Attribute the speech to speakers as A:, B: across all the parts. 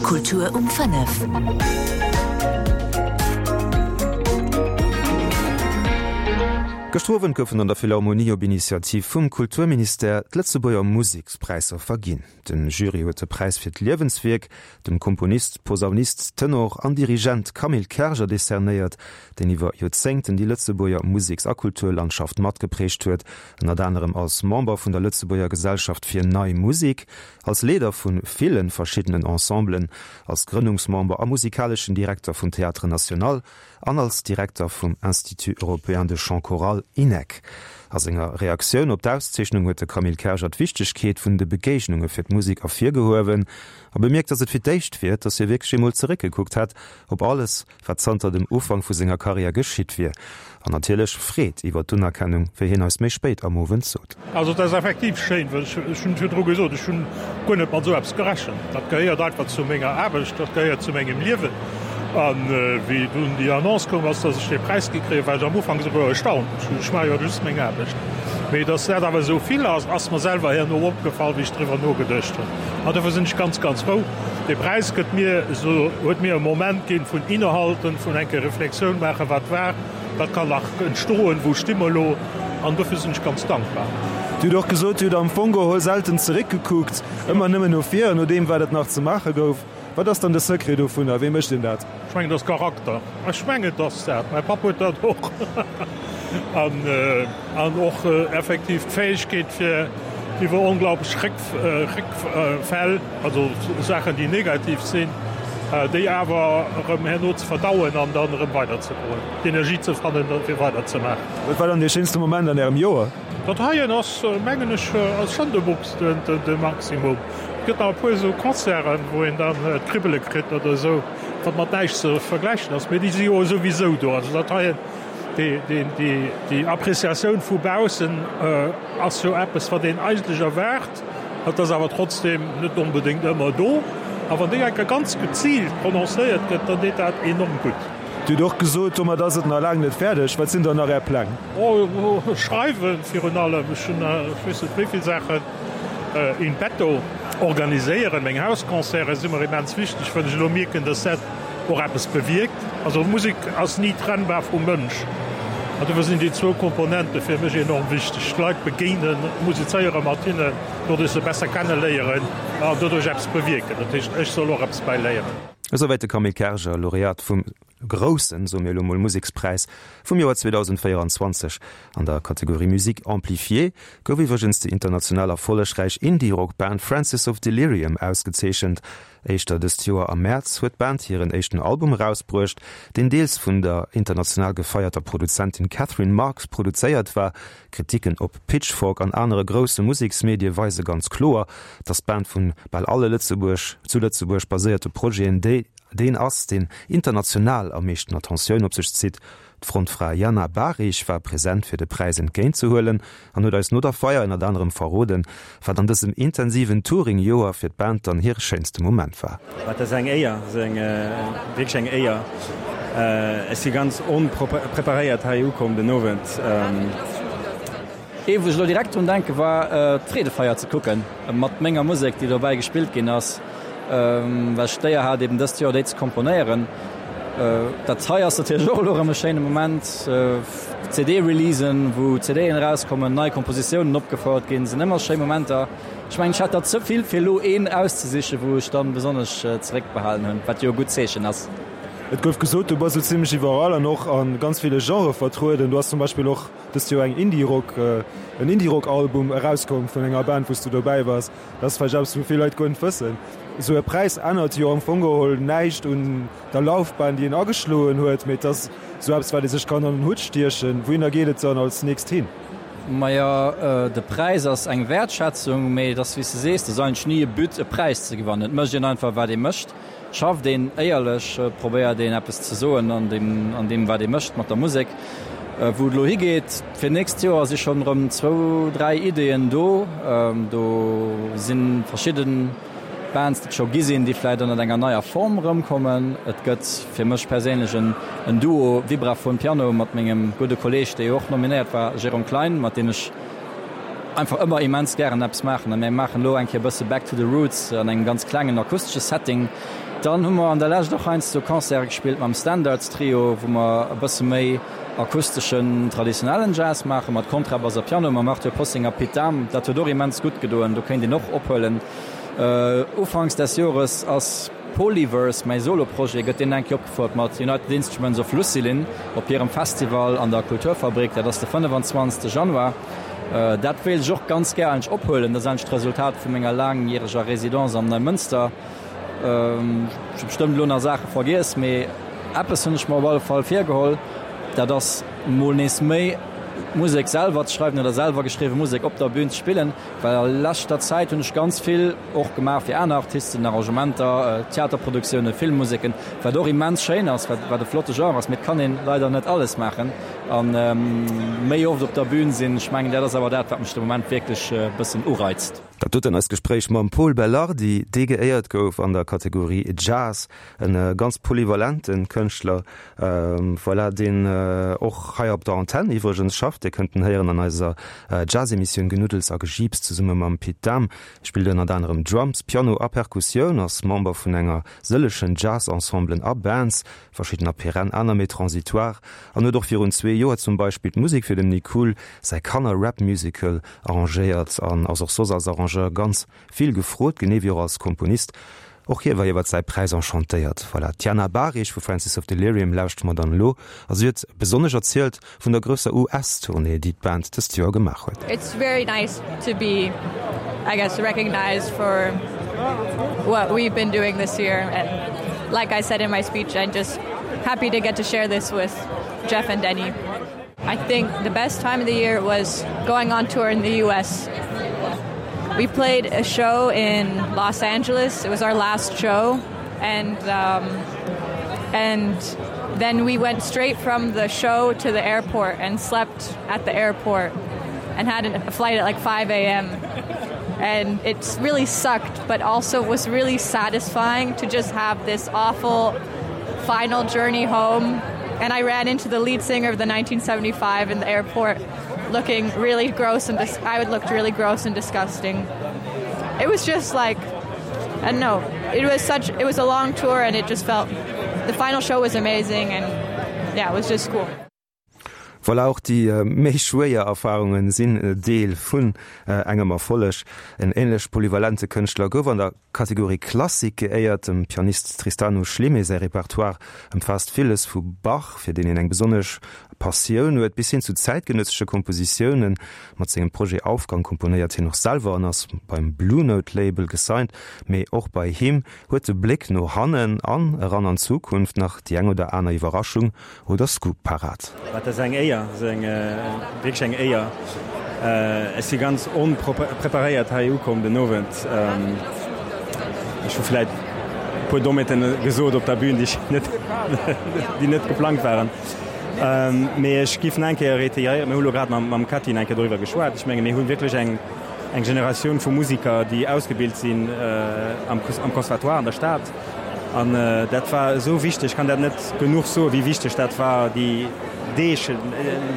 A: Kultur um 5.
B: Gëschter Owend goufen an der Philharmonie op Initiativ vum Kulturministère d'Lëtzebuerger Musekspräisser verginn. De Jury huet de Präis fir d'Liewenswierk dem Komponist, Posaunist, Tenor an Dirigent Camille Kerger decernéiert, deen iwwer Joerzéngten déi Lëtzebuerger Museks a Kulturlandschaft matgeprägt huet, ënnert anerem als Member vun der Lëtzebuerger Gesellschaft fir Nei Musik, Als Leeder vu ville verschiddenen Ensemblen, als Grënnungsmember a musikaleschen Direkter vum Théâtre National an als Direkter vum Institut Européen de Chant Choral, INEC. A senger Reaktioun op d'Auszeechnung huet de Camille Kerger d'Wichtegkeet vun de Begéignunge fir d'Musek ervirgehuewen a bemierkt, datt et fir d'éischt wier, datt hie wierklech eemol zeréckgekuckt hätt op alles, wat zanter dem Ufank vu senger Karriär geschitt wier, an natierlech Freed iwwer d'Unerkennung, wéi hien eis méi spéit am Owend sot.
C: Also et ass effektiv schéin, well ech hunn et virdru gesot, ech hunn guer net mat esou eppes gerechent. Dat gehéiert einfach zu menger Aarbecht, dat gehéiert zu mengem Liewen. A wéi dunn déi Annonce koum ass, datt ech dee Präis gi kréien, war ech am Ufank esouguer erstaunt. Ech maache jo just meng Aarbecht. Mee datt dat awer esou vill ass, ass mer selwer herno opgefall, wéi ech driwwer nogeduecht hunn. An dofir sinn ech ganz, ganz frou. Dee Präis gëtt mir esou, huet mir e Moment ginn vun Innehalten, vun eng Kéier Reflexioun maachen, wat war, wat kann nach entstoen, wou sti mer elo, an dofir sinn ech ganz dankbar.
B: Dir hutt och gesot, Dir hutt am Fong geholl selten zeréckgekuckt, ëmmer nëmmen no vir, no deem wat et nach ze maache gouf. Wat ass dann de Secret dovunner? Wéi mécht een dat?
C: Ech mengen, et ass Charakter. Ech mengen, et ass dat. Mäi Papp huet dat och. An och effektiv d'Fäegkeet fir iwwer onglaublech Réckfäll, also Saachen, déi negativ sinn, déi awer erëm herno ze verdauen an dann erëm weiderzegoen, d'Energie ze fannen, fir weiderzemaachen.
B: Wat war dann dee schéinste Moment an Ärem Joer?
C: Dat heien ass, mengen ech, ass schonn de Maximum. Et gëtt nach e puer esou Concerten, wou een dann d'Kribbele kritt oder esou, wat mat näischt ze vergläichen ass, mee déi si jo souwisou do. Also dat heien, déi Appreciatioun vu baussen ass jo eppes, wat een eigentlech erwaart, et ass awer trotzdem net onbedéngt ëmmer do. A wann déi eng Kéier ganz geziilt prononcéiert gëtt, dann deet dat enorm gutt.
B: Dir hutt och gesot, domat ass et nach laang net fäerdeg. Wat sinn dann nach Är Pläng?
C: Oh, schreiwen virun allem. Ech hunn ech weess net wéi vill Saachen in petto. Organiséieren, meng Hausconcerte si mer immens wichteg, well ech elo mierken, dass dat och eppes bewierkt. Also Musek ass ni trennbar vum Mënsch an dofir sinn déi zwou Komponente fir mech enorm wichteg, d'Leit begéinen, musizéiere mat hinnen, doduerch se besser kenne léieren an doduerch eppes bewierken. Dat heescht, ech soll och eppes bäi léieren.
B: Esouwäit de Camille Kerger, Laureat vum groussen, soe mir elo mol, Musekspräis vum Joer 2024 an der Kategorie Musique amplifiée gouf iwwregens déi international erfollegräich Indie-Rock-Band Francis of Delirium ausgezeechent. Éischter dëst Joer am Mäerz huet d'Band hiren éischten Album erausbruecht, deen deels vun der international gefeierter Produzentin Catherine Marks produzéiert war. Kritiken op Pitchfork an anere grousse Museksmedie weise ganz kloer, datt d'Band vun bal alle Lëtzebuerg zu Lëtzebuerg baséierte Projeten déi deen ass, deen international am meeschten Attentioun op sech zitt. D'Frontfra Jana Bahrich war present fir de Präis entgéint ze huelen an huet eis no der Feier ënnert anerem verroden, wat an dësem intensiven Touring-Joer fir d'Band dann hire schéinste Moment war.
D: Dat ass eng Éier, ass eng wierklech eng Éier. Ech si ganz onpreparéiert hei ukomm den Owend.
E: Ee wou ech elo direkt drun denke war d'Freedefeier ze kucken mat menger Musek déi dobäi gespillt ginn ass, well ech d'Éier hat eben dëst Joer déi ze komponéieren. Dat hei ass natierlech och elo erëm e schéine Moment. CD-Releasen, wou CDen erauskommen, nei Kompositiounen opgefouert ginn, sinn ëmmer schéi Momenter. Ech mengen ech hätt der ze vill fir elo een auszesichen, wou ech dann besonnesch zeréckbehalen hunn, wat jo e gutt Zeechen ass.
B: Et gouf gesot, du bass esou zimmlech iwwerall an och a ganz ville Genrë vertrueden. Du has zum Beispill och Dëst Joer eng Indie-Rock, en Indie-Rock-Album erauskomm vun enger Band, wou s du dobäi waars. Dat ass vläicht eppes, wou vill Leit guer net wëssen. Esou e Präis ännert jo am Fong geholl näischt un der Laufbahn, déi een ageschloen huet, mee et ass esou eppes, wat ee sech kann an den Hutt stiechen. Wouhinner geet et dann als nächst hin?
E: Majo, de Präis ass eng Wäertschätzung, mee et ass, wéi s de sees, et ass eigentlech ni e But, e Präis ze gewannen. Et mécht een einfach, wat ee mécht. Schafft een éierlech, probéiert een eppes ze soen an deem, an deem wat ee mécht mat der Musek. Wou et elo higeet fir nächst Joer si schonn erëm zwou, dräi Ideeën do. Do si verschidde Bands, déi et scho gi sinn, déi vläicht ënnert enger neier Form erëmkommen. Et gëtt fir mech perséinlech en en Duo Vibraphone-Piano mat mengem gudde Kolleeg, dee jo och nominéiert war, Jérôme Klein, mat deem ech. einfach ëmmer immens gären eppes maachen a mir maachen elo eng Kéier e bësse back to the roots an engem ganz klengen akustesche Setting. Dann hu mer an der Lescht och heiansdo Concerte gespillt mam Standards Trio, wou mer e bësse méi akusteschen, traditionellen Jazz maache mat Kontrabass a Piano mam Arthur Possing a Pit Dahm. Dat huet och immens gutt gedoen, do kéint een och ophuelen. Ufanks des Jores ass Polyverse, mäi Solo-Projet, gëtt deen eng Kéier opgefouert mat United Instruments of Lucilin op hirem Festival an der Kulturfabrik. Dat ass de 25. Januar. Dat wéilt ech och ganz gär eigentlech ophuelen. Dat ass eigentlech d'Resultat vu menger laangjäreger Residence am Neimënster. Ech hu bestëmmt elo nach Saache vergiess, mee eppes hunn ech mer op alle Fall virgeholl, dat ass mol nees méi Musek selwer ze schreiwen oder selwer geschriwwe Musek op der Bün ze spillen, well a leschter Zäit hunn ech ganz vill och gemaach fir aner Artisten, Arrangementer, Theaterproduktioune, Filmmuseken, wat och immens schéin ass, wat wat e flotte Genre ass, mee et kann een leider net alles maachen a méi oft op der Bün sinn. Ech mengen dat ass awer dat, wat mech de Moment wierklech e bëssen ureizt.
B: Dat doten eist Gespréich mam Pol Belardi, dee geéiert gouf an der Kategorie Jazz. E ganz polyvalente Kënschtler, voilà, deen och hei op der Antenn iwwregens schafft. Dir kënnt en héieren an eiser Jazz-Emissioun Genuddels a Gejiips zesumme mam Pit Dahm. Spillt ënnert anerem Drums, Piano a Perkussioun, ass Member vun enger sëllechen Jazz-Ensemblen a Bands, verschiddener perenn, aner méi transitoire, an huet och virun zwee Joer zum Beispill d'Musek fir dem Nick Cool säi Kanner-Rap-Musical arrangéiert an ass och soss als Arrangeur ganz vill gefrot, genee wéi och als Komponist. Och hie war iwwert säi Präis enchantéiert. Voilà, d'Jana Bahrich vu Francis of Delirium lauschtere mer dann elo a si huet besonnesch erzielt vun der grousser US-Tournée, déi d'Band dëst Joer gemaach huet.
A: It's very nice to be, I guess, recognized for what we've been doing this year and like I said in my speech, I'm just happy to get to share this with Jeff and Denny. I think the best time of the year was going on tour in the US. We played a show in Los Angeles. It was our last show and um, and then we went straight from the show to the airport and slept at the airport and had a flight at like 5 a.m. And it's really sucked, but also was really satisfying to just have this awful final journey home. And I ran into the lead singer of the 1975 in the airport looking really gross and I would looked really gross and disgusting. It was just like I don't know, it was such it was a long tour and it just felt the final show was amazing and yeah, it was just cool.
B: Voilà, och déi méi schwéier Erfarunge sinn Deel vun engem Erfolleg. En änlech polyvalente Kënschtler gouf an der Kategorie Klassik geéiert. Dem Pianist Tristano Schleme säi Repertoire ëmfaasst villes, vu Bach, fir deen hien eng besonnesch Passioun huet, bis hin zu zäitgenëssesche Kompositiounen. Mat sengem Projet Aufgang komponéiert hien och selwer an ass beim Blue Note Label gesigned. Mee och bei him huet de Bléck no hannen an eran an d'Zukunft nach déi eng oder aner Iwwerraschung oder Scoop parat.
D: Dat ass eng Éier, dat ass eng wierklech eng Éier. Ech si ganz onpreparéiert hei ukomm den Owend. Ech hu vläit e puer Dommheeten gesot op der Bühn, déi net, déi net geplangt waren. Mee ech giff nach eng Kéier réitéieren, mir hu lo grad mam Cathy nach eng Kéier doriwwer geschwat, ech menge mir hu wierklech eng, eng Generatioun vu Musiker, déi ausgebilt sinn am Conservatoire an der Stad. An dat war esou wichteg, ech kann dat net genuch soen, wéi wichteg dat war, déi Deeg,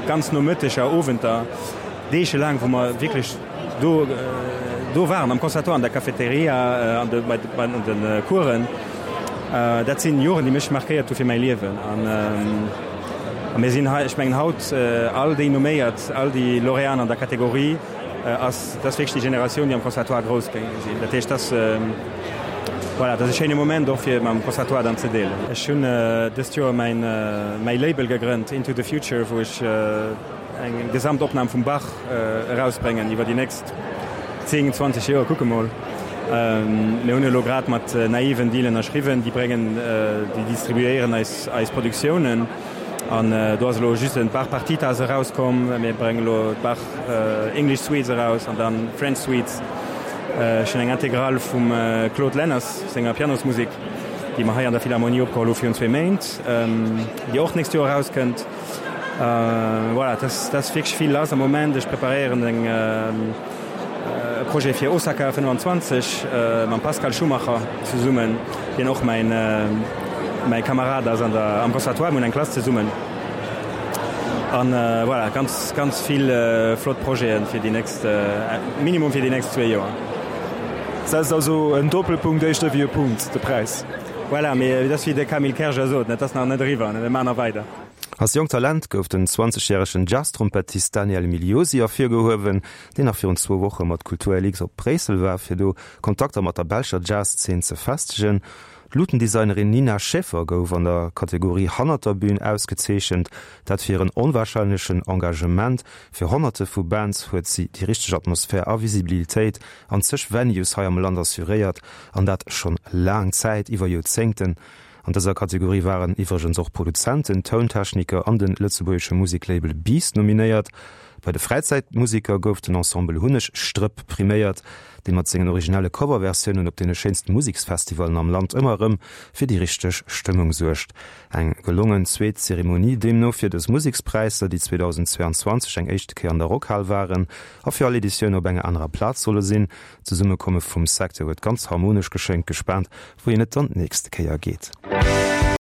D: ganz Nomëtteger, Owenter, deegelaang, wou mer wierklech do, do waren am Conservatoire, an der Cafeteria, an de, bei, bei an de Coursen. Dat sinn Joren, déi mech markéiert hu fir mäi Liewen. An a mir sinn hei, ech mengen haut, all déi Nomméiert, all déi Lauréaten an der Kategorie, ass, dat ass wierklech déi Generatioun, déi am Conservatoire grouss gi sinn. Dat heescht, dass, voilà, dat ass e schéine Moment och fir mam Conservatoire dann ze deelen. Ech hunn dëst Joer mäin, mäi Label gegrënnt, Into the Future, wou ech eng Gesamtopnam vum Bach erausbréngen iwwer déi nächst 10, 20 Joer, kucke mol. Mir hunn elo grad mat Naive en Deal ënnerschriwwen, déi bréngen, déi distribuéieren eis, eis Produktiounen. An do ass elo just en Bach Partitas erauskomm. Mir bréngen elo d'Bach English Suites eraus an dann French Suites. Ech hunn eng Intégrale vum Claude Lenners senger Pianosmusek, déi mer hei an der Philharmonie opgeholl hu virun zwee Méint, déi och d'nächst Joer erauskënnt. Voilà, et ass wierklech vill lass am Moment. Ech preparéieren eng. E Projet fir Osaka 25 mam Pascal Schumacher zesummen, deen och mäin mäi Kamerad ass an der am Conservatoire, mir hunn eng Klass zesummen. An voilà, ganz, ganz vill flott Projeten fir déi nächst, minimum fir déi nächst zwee Joer.
B: Setzt also en Doppelpunkt éischter wéi e Punkt, de Präis.
D: Voilà, mee et ass wéi de Camille Kerger sot, et ass nach net eriwwer, mir maachen nach weider.
B: Als jonkt Talent gouf den 20 järegen Jazztrompettist Daniel Migliosi ervirgehuewen, deen nach virun zwou Woche mat Kultur LX op Bréissel war, fir do Kontakter mat der belscher Jazzszen ze festegen. D'Luutendesignerin Nina Schäfer gouf an der Kategorie Hannert der Bün ausgezeechent, dat fir hiren onwarscheinlechen Engagement. Fir Honnerte vu Bands huet si déi richteg Atmosphär a Visibilitéit an zeg Venues hei am Land assuréiert, an dat schonn laang Zäit, iwwer Joerzéngten. An dëser Kategorie waren iwwregens och Produzenten, Tountechniker an de lëtzebuergesche Museklabel Beast nominéiert. Bei de Fräizäitmuseker gouf den Ensemble Hunnegstrëpp priméiert, dee mat sengen originelle Coverversiounen op deene schéinste Museksfestivallen am Land ëmmer erëm fir déi richteg Stëmmung suergt. Eng gelongen zweet Zeremonie deemno fir dës Musekspräisser, déi 2022 eng éischte Kéier an der Rockhal waren a fir all Editioun op enger anerer Plaz solle sinn. D'Zesummekomme vum Secteur huet ganz harmonesch geschéngt. Gespaant, wouhin et dann d'nächste Kéier geet.